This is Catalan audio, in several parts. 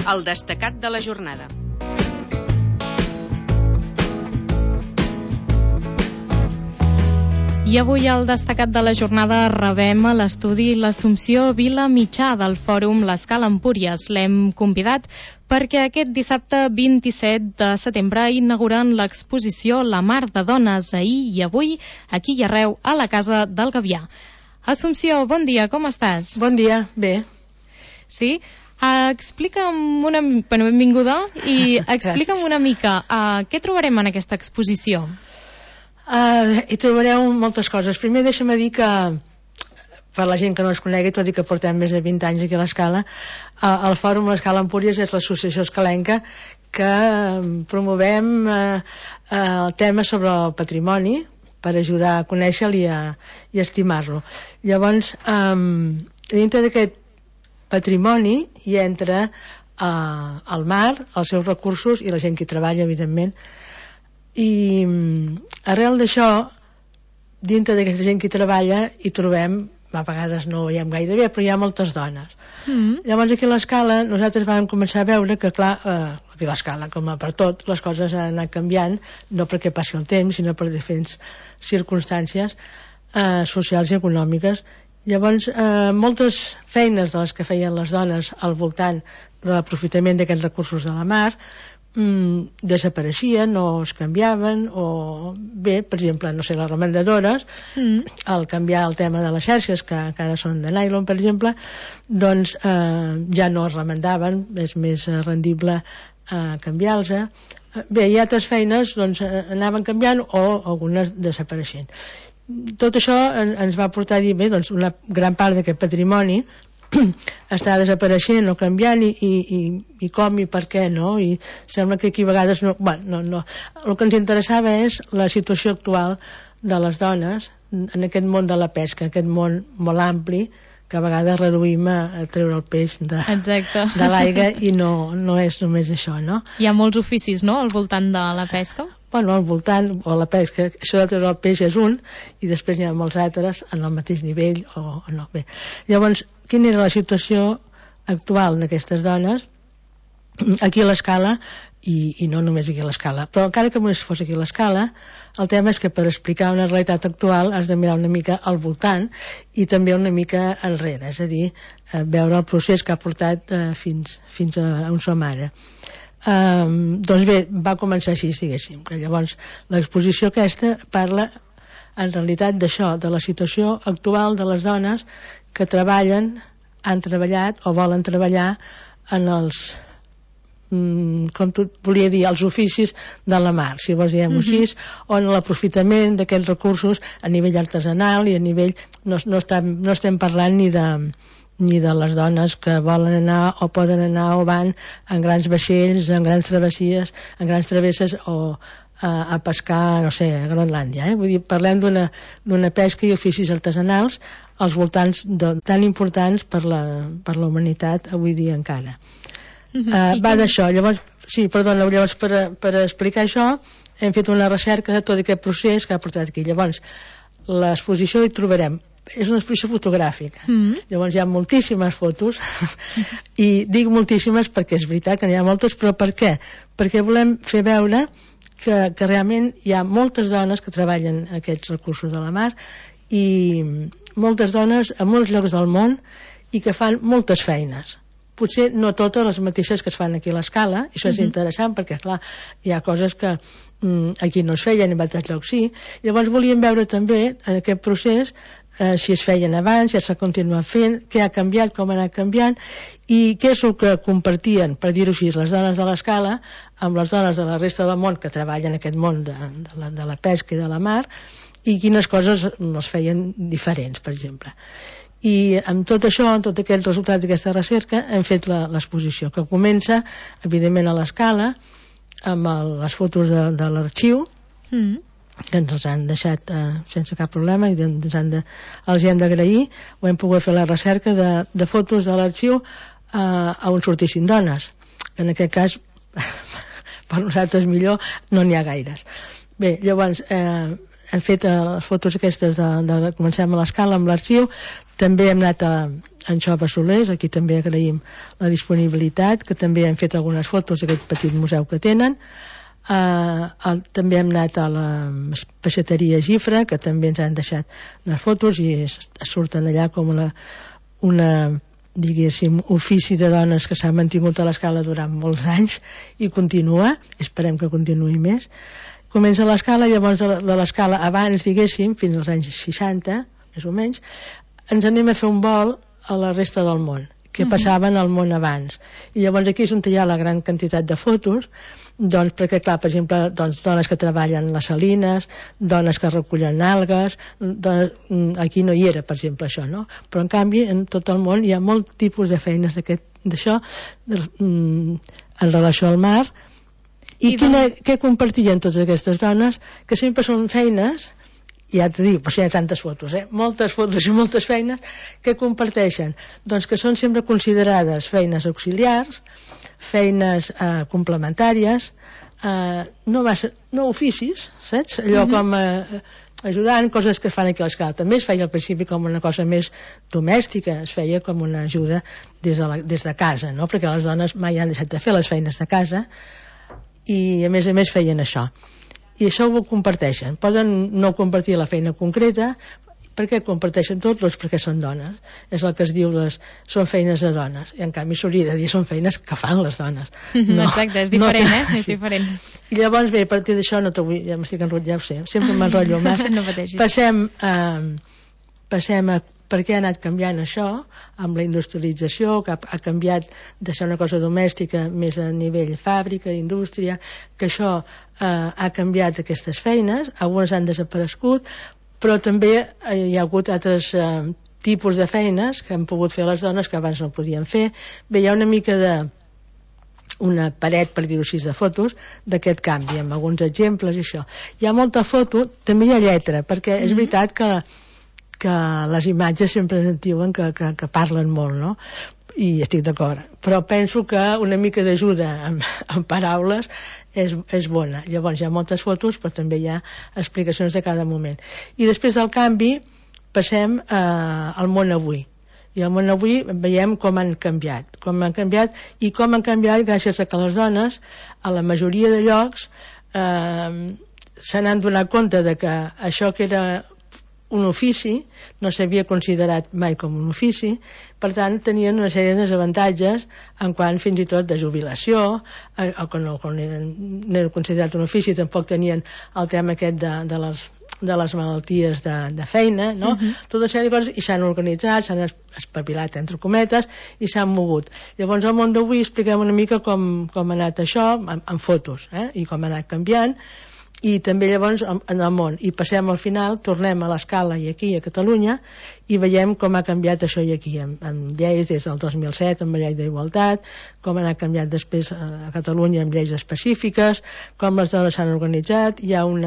el destacat de la jornada. I avui al destacat de la jornada rebem a l'estudi l'Assumpció Vila Mitjà del Fòrum L'Escala Empúries. L'hem convidat perquè aquest dissabte 27 de setembre inauguren l'exposició La Mar de Dones, ahir i avui, aquí i arreu, a la Casa del Gavià. Assumpció, bon dia, com estàs? Bon dia, bé. Sí? Explica'm benvinguda, i explica'm una mica què trobarem en aquesta exposició. Hi trobareu moltes coses. Primer deixa'm dir que, per la gent que no es conegui, tot i que portem més de 20 anys aquí a l'Escala, el Fòrum L'Escala Empúries és l'associació escalenca que promovem temes sobre el patrimoni per ajudar a conèixer-lo i estimar-lo. Llavors, dintre d'aquest patrimoni hi entra el mar, els seus recursos i la gent que hi treballa, evidentment. I arrel d'això, dintre d'aquesta gent que hi treballa, hi trobem, a vegades no ho veiem gaire bé, però hi ha moltes dones. Llavors aquí a l'Escala nosaltres vam començar a veure que, clar, aquí a l'Escala, com per tot, les coses han anat canviant, no perquè passi el temps, sinó per diferents circumstàncies socials i econòmiques. Llavors, moltes feines de les que feien les dones al voltant de l'aprofitament d'aquests recursos de la mar desapareixien o es canviaven, o bé, per exemple, no sé, les remendadores, al canviar el tema de les xarxes, que ara són de nylon, per exemple, doncs ja no es remendaven, és més rendible canviar-los. Bé, hi ha altres feines, doncs anaven canviant o algunes desapareixent. Tot això ens va portar a dir, bé, doncs una gran part d'aquest patrimoni està desapareixent o canviant, i com i per què, no? I sembla que aquí a vegades no. El que ens interessava és la situació actual de les dones en aquest món de la pesca, aquest món molt ampli que a vegades reduïm a treure el peix de l'aigua, i no és només això, no? Hi ha molts oficis, no?, al voltant de la pesca? Bueno, al voltant, o la pesca, això de treure el peix és un, i després hi ha molts altres en el mateix nivell o no. Bé, llavors, quina era la situació actual d'aquestes dones aquí a l'Escala, i no només aquí a l'Escala, però encara que només fos aquí a l'Escala, el tema és que per explicar una realitat actual has de mirar una mica al voltant i també una mica enrere, és a dir, veure el procés que ha portat fins a on som ara. Doncs bé, va començar així, diguéssim, que llavors l'exposició aquesta parla en realitat d'això, de la situació actual de les dones que treballen, han treballat o volen treballar en els, com tu volia dir, els oficis de la mar, si vols diguem-ho així, o en l'aprofitament d'aquests recursos a nivell artesanal i a nivell, no estem parlant ni de les dones que volen anar o poden anar o van en grans vaixells, en grans travessies, en grans travesses o a pescar, no sé, a Groenlàndia. Vull dir, parlem d'una pesca i oficis artesanals als voltants tan importants per la humanitat avui dia encara. Va d'això. Llavors, per explicar això hem fet una recerca de tot aquest procés que ha portat aquí. Llavors, l'exposició hi trobarem, és una exposició fotogràfica. Llavors hi ha moltíssimes fotos i dic moltíssimes perquè és veritat que n'hi ha moltes, però per què? Perquè volem fer veure que realment hi ha moltes dones que treballen aquests recursos de la mar, i moltes dones a molts llocs del món, i que fan moltes feines, potser no totes les mateixes que es fan aquí a l'Escala. Això és interessant perquè, clar, hi ha coses que aquí no es feien i en altres llocs sí. Llavors volíem veure també en aquest procés si es feien abans, si s'ha continuat fent, què ha canviat, com ha anat canviant, i què és el que compartien, per dir-ho així, les dones de l'Escala amb les dones de la resta del món que treballen en aquest món de la pesca i de la mar, i quines coses es feien diferents, per exemple. I amb tot això, amb tot aquest resultat d'aquesta recerca, hem fet l'exposició, que comença evidentment a l'Escala amb les fotos de l'arxiu, que ens han deixat sense cap problema, i els hem d'agrair. Ho hem pogut fer la recerca de fotos de l'arxiu on sortissin dones, que en aquest cas per nosaltres millor no n'hi ha gaires. Bé, llavors hem fet les fotos aquestes comencem a l'Escala amb l'arxiu. També hem anat en Xova Solers, aquí també agraïm la disponibilitat, que també hem fet algunes fotos d'aquest petit museu que tenen. També hem anat a la peixateria Gifra, que també ens han deixat les fotos i surten allà com una diguéssim, ofici de dones que s'ha mantingut a l'Escala durant molts anys i continua, esperem que continuï més. Comença l'Escala, llavors de l'Escala abans, diguéssim, fins als anys 60, més o menys, ens anem a fer un vol a la resta del món, que passaven al món abans. I llavors aquí és on hi ha la gran quantitat de fotos, doncs perquè, clar, per exemple, doncs, dones que treballen les salines, dones que recullen algues, aquí no hi era, per exemple, això, no? Però, en canvi, en tot el món hi ha molt tipus de feines d'això en relació al mar. I què compartien totes aquestes dones? Que sempre són feines, ja t'ho dic, però hi ha tantes fotos, moltes fotos i moltes feines que comparteixen, doncs que són sempre considerades feines auxiliars, feines complementàries, no oficis, saps? Allò com ajudant, coses que es fan aquí a l'Escala. També es feia al principi com una cosa més domèstica, es feia com una ajuda des de casa, no? Perquè les dones mai han deixat de fer les feines de casa i a més feien això. I això ho comparteixen. Poden no compartir la feina concreta. Per què comparteixen tot? Doncs perquè són dones. És el que es diu, són feines de dones. I en canvi s'hauria de dir són feines que fan les dones. No, exacte, és diferent, És diferent. I llavors, bé, a partir d'això no t'ho vull, ja m'estic enrotllant, ja ho sé, sempre m'enrotllo massa. No pateixis. Passem a per què ha anat canviant això amb la industrialització, que ha canviat de ser una cosa domèstica més a nivell fàbrica, indústria, que això ha canviat aquestes feines, algunes han desaparegut, però també hi ha hagut altres tipus de feines que han pogut fer les dones que abans no podien fer. Bé, hi ha una mica una paret, per dir-ho així, de fotos d'aquest canvi, amb alguns exemples i això. Hi ha molta foto, també hi ha lletra, perquè és veritat que les imatges sempre ens diuen que parlen molt, no? I estic d'acord, però penso que una mica d'ajuda amb paraules és bona. Llavors hi ha moltes fotos, però també hi ha explicacions de cada moment. I després del canvi passem al món avui. I al món avui veiem com han canviat i com han canviat gràcies a que les dones a la majoria de llocs se n'han donat compte de que això que era un ofici no s'havia considerat mai com un ofici, per tant tenien una sèrie de desavantatges en quant fins i tot de jubilació, o que no era considerat un ofici, tampoc tenien el tema aquest de les malalties de feina, no? Tota una sèrie de coses, i s'han organitzat, s'han espavilat entre cometes i s'han mogut. Llavors al món d'avui expliquem una mica com ha anat això amb fotos, i com ha anat canviant, i també llavors en el món, i passem al final, tornem a l'Escala i aquí a Catalunya i veiem com ha canviat això i aquí amb lleis des del 2007 amb la llei d'igualtat, com ha anat canviat després a Catalunya amb lleis específiques, com les dones s'han organitzat. Hi ha un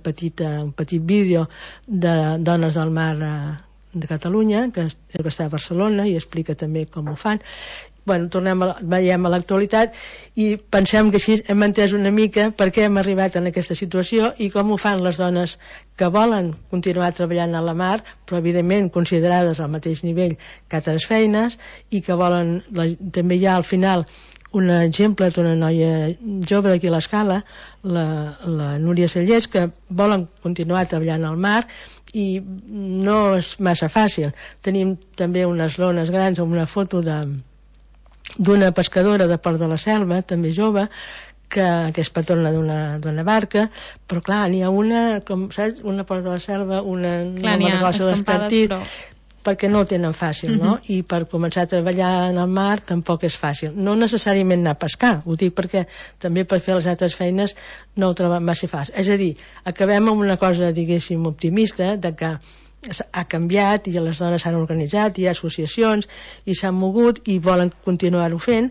petit vídeo de Dones del Mar de Catalunya que està a Barcelona i explica també com ho fan. Bueno, veiem a l'actualitat i pensem que així hem entès una mica per què hem arribat en aquesta situació i com ho fan les dones que volen continuar treballant a la mar, però evidentment considerades al mateix nivell que altres feines, i que volen, també hi ha al final un exemple d'una noia jove d'aquí a l'Escala, la Núria Cellers, que volen continuar treballant al mar i no és massa fàcil. Tenim també unes lones grans amb una foto d'una pescadora de Port de la Selva, també jove, que és patrona d'una barca, però clar, n'hi ha una, com saps, una Port de la Selva, una clar, n'hi ha escampades, però perquè no ho tenen fàcil, no? I per començar a treballar en el mar tampoc és fàcil. No necessàriament anar a pescar, ho dic perquè també per fer les altres feines no ho troben massa fàcil. És a dir, acabem amb una cosa, diguéssim, optimista, de que ha canviat i les dones s'han organitzat, hi ha associacions i s'han mogut i volen continuar-ho fent,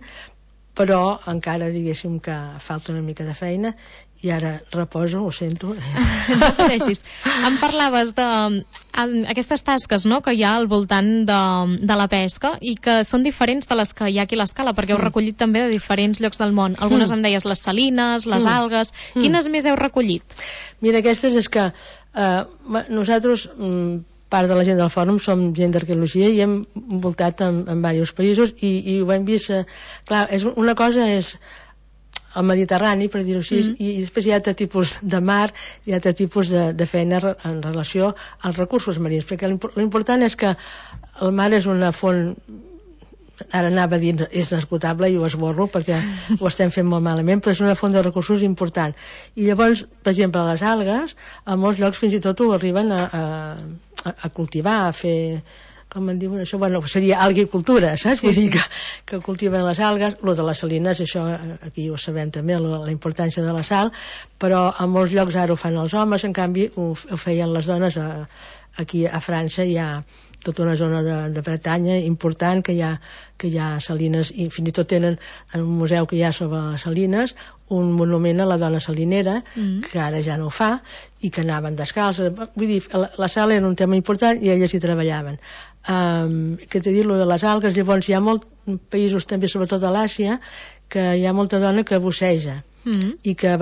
però encara diguéssim que falta una mica de feina i ara reposo, ho sento. No pateixis. Em parlaves d'aquestes tasques, no?, que hi ha al voltant de la pesca i que són diferents de les que hi ha aquí a l'Escala, perquè heu recollit també de diferents llocs del món. Algunes em deies les salines, les algues. Quines més heu recollit? Mira, aquestes és que nosaltres, part de la gent del fòrum, som gent d'arqueologia i hem voltat en diversos països i ho hem vist. Clar, una cosa és el Mediterrani, per dir-ho així, i després hi ha altre tipus de mar, hi ha altre tipus de feina en relació als recursos marins, perquè l'important és que el mar és una font, ara anava a dir és esgotable i ho esborro perquè ho estem fent molt malament, però és una font de recursos important. I llavors, per exemple, les algues, a molts llocs fins i tot ho arriben a cultivar, a fer, com en diuen això, bueno, seria algicultura, saps? Vull dir que cultiven les algues. Lo de les salines, això aquí ho sabem també, la importància de la sal, però a molts llocs ara ho fan els homes, en canvi ho feien les dones. Aquí a França hi ha tota una zona de Bretanya important que hi ha salines, i fins i tot tenen en un museu que hi ha sobre les salines un monument a la dona salinera, que ara ja no ho fa, i que anaven descalces. Vull dir, la sal era un tema important i elles hi treballaven. Què t'he dit, lo de les algues. Llavors hi ha molts països també, sobretot a l'Àsia, que hi ha molta dona que busseja i que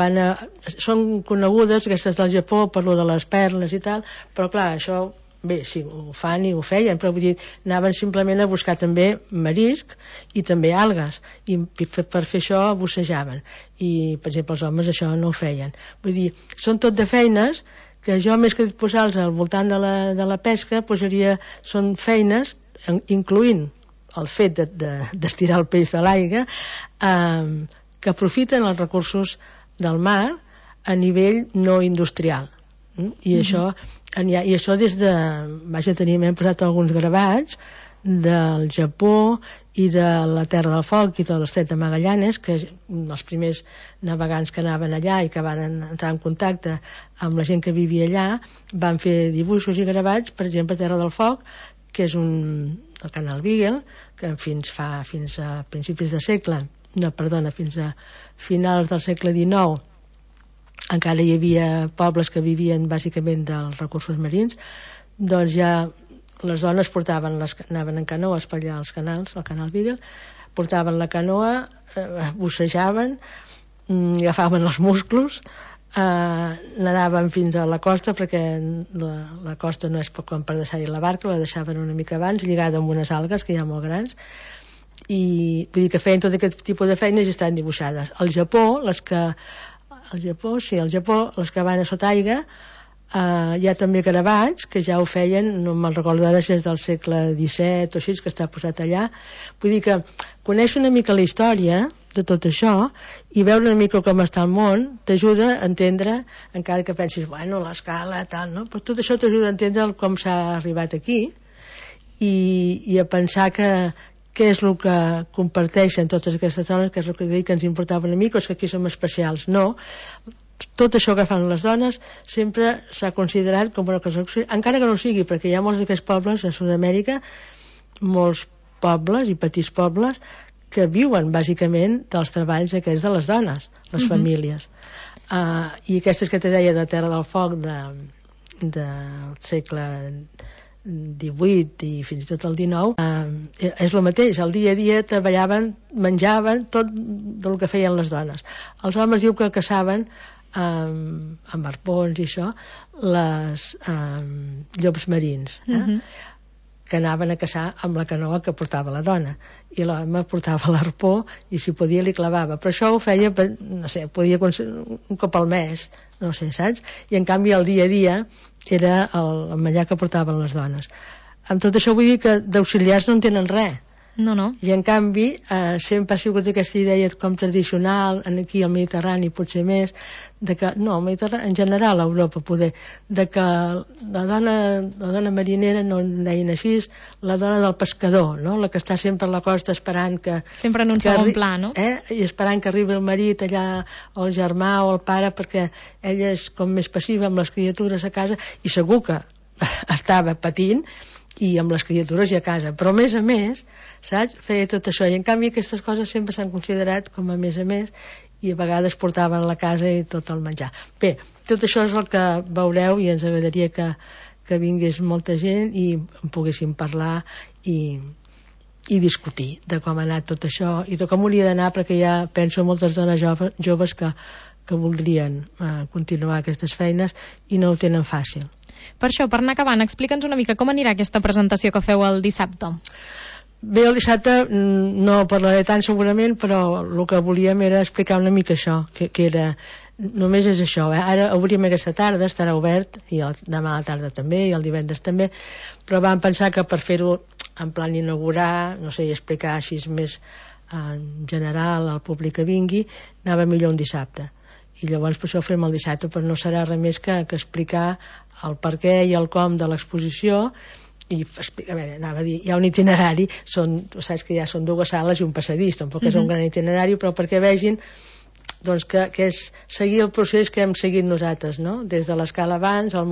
són conegudes aquestes del Japó per lo de les perles i tal, però clar, això bé, sí, ho fan i ho feien, però vull dir, anaven simplement a buscar també marisc i també algues, i per fer això bussejaven, i per exemple els homes això no ho feien. Vull dir, són tot de feines que jo, més que posar-los al voltant de la pesca, són feines, incloent el fet d'estirar el peix de l'aigua, que aprofiten els recursos del mar a nivell no industrial. I això des de... Hem posat alguns gravats del Japó i de la Terra del Foc i de l'Estret de Magallanes, que els primers navegants que anaven allà i que van entrar en contacte amb la gent que vivia allà van fer dibuixos i gravats, per exemple, Terra del Foc, que és el canal Beagle, que fins a principis de segle, fins a finals del segle XIX encara hi havia pobles que vivien bàsicament dels recursos marins, doncs ja les dones anaven en canoes per allà als canals, al canal Beagle, portaven la canoa, bussejaven, agafaven els musclos, nadaven fins a la costa, perquè la costa no és com per deixar-hi la barca, la deixaven una mica abans, lligada amb unes algues que hi ha molt grans, i vull dir que feien tot aquest tipus de feines i estaven dibuixades. Al Japó, les que van a sota aigua, hi ha també gravats que ja ho feien, no me'n recordo ara si és del segle XVII o així, que està posat allà. Vull dir que conèixer una mica la història de tot això i veure una mica com està el món t'ajuda a entendre, encara que pensis, bueno, l'Escala, tal, no? Però tot això t'ajuda a entendre com s'ha arribat aquí i a pensar què és el que comparteixen totes aquestes dones, que és el que dic que ens importava una mica, o és que aquí som especials. No, tot això que fan les dones sempre s'ha considerat com una cosa, encara que no ho sigui, perquè hi ha molts d'aquests pobles a Sud-amèrica, molts pobles i petits pobles que viuen bàsicament dels treballs aquests de les dones, les famílies. I aquestes que te deia de Terra del Foc del segle XVIII i fins i tot el XIX, és el mateix, al dia a dia treballaven, menjaven tot del que feien les dones. Els homes diu que caçaven amb arpons i això les llops marins, que anaven a caçar amb la canoa que portava la dona, i l'home portava l'arpó i si podia li clavava, però això ho feia, no sé, podia un cop al mes, no sé, saps? I en canvi el dia a dia era el menjar que portaven les dones. Amb tot això vull dir que d'auxiliars no en tenen res. No. I en canvi sempre ha sigut aquesta idea com tradicional, aquí al Mediterrani potser més, de que, no, al Mediterrani, en general a Europa poder, de que la dona marinera, no en deien així, la dona del pescador, no? La que està sempre a la costa esperant que... Sempre en un segon pla, no? I esperant que arribi el marit allà, o el germà o el pare, perquè ella és com més passiva amb les criatures a casa, i segur que estava patint i amb les criatures i a casa, però a més, saps, feia tot això, i en canvi aquestes coses sempre s'han considerat com a més, i a vegades portaven a la casa i tot el menjar. Bé, tot això és el que veureu i ens agradaria que vingués molta gent i en poguéssim parlar i discutir de com ha anat tot això i de com hauria d'anar, perquè ja penso moltes dones joves que voldrien continuar aquestes feines i no ho tenen fàcil. Per això, per anar acabant, explica'ns una mica com anirà aquesta presentació que feu el dissabte. Bé, el dissabte no parlaré tant segurament, però el que volíem era explicar una mica això, que era, només és això, ara obrim aquesta tarda, estarà obert, i demà a la tarda també, i el divendres també, però vam pensar que per fer-ho en plan inaugurar, no sé, i explicar així més en general al públic que vingui, anava millor un dissabte. I llavors per això ho fem el dissabte, però no serà res més que explicar el per què i el com de l'exposició. I a veure, anava a dir, hi ha un itinerari, saps que ja són 2 sales i un passadís, tampoc és un gran itinerari, però perquè vegin doncs, que és seguir el procés que hem seguit nosaltres, no? Des de l'escala abans, el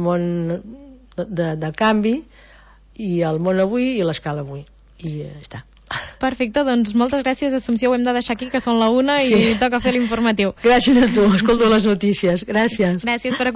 món de canvi, i el món avui i l'escala avui. I ja està. Perfecte, doncs moltes gràcies, Assumpció, ho hem de deixar aquí, que són la 1 i toca fer l'informatiu. Gràcies a tu, escolto les notícies. Gràcies. Gràcies per